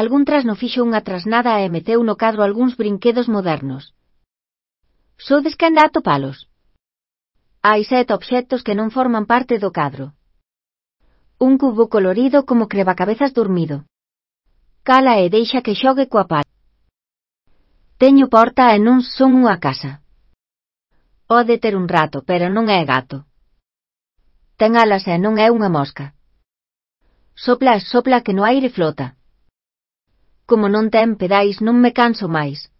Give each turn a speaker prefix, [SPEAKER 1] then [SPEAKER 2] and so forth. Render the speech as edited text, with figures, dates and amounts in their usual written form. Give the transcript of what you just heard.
[SPEAKER 1] Algún trasno fixo unha trasnada e meteu no cadro algúns brinquedos modernos. Sodes quen dá atopalos? Hai 7 obxectos que non forman parte do cadro. Un cubo colorido como crebacabezas dormido. Cala e deixa que xogue coa pala. Teño porta e non son unha casa. Pode ter un rato, pero non é gato. Ten alas e non é unha mosca. Sopla que no aire flota. Como non ten pedais non me canso máis.